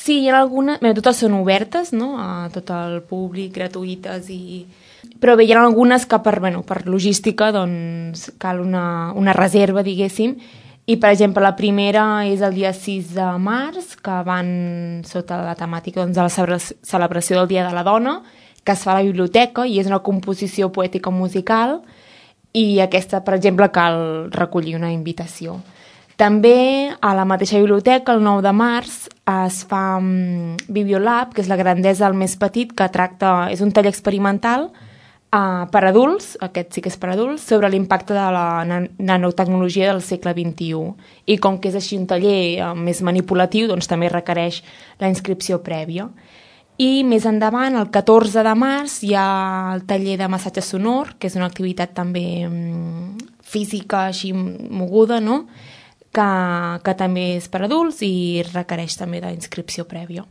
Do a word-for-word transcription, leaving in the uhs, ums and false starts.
Sí, hi ha algunes... Bé, totes són obertes, no?, a tot el públic, gratuïtes, i... però bé, hi ha algunes que per, bueno, per logística doncs, cal una, una reserva, diguéssim, i per exemple la primera és el dia sis de març, que van sota la temàtica doncs, de la celebració del Dia de la Dona, que es fa a la biblioteca i és una composició poètica musical, i aquesta, per exemple, cal recollir una invitació. També a la mateixa biblioteca, el nou de març, es fa um, Bibliolab, que és la grandesa del més petit, que tracta, és un taller experimental uh, per adults, aquest sí que és per adults, sobre l'impacte de la nan nanotecnologia del segle vint-i-u. I com que és així un taller uh, més manipulatiu, doncs també requereix la inscripció prèvia. I més endavant, el catorze de març, hi ha el taller de massatge sonor, que és una activitat també um, física, així moguda, no?, Que, que també és per adults i requereix també d'inscripció prèvia.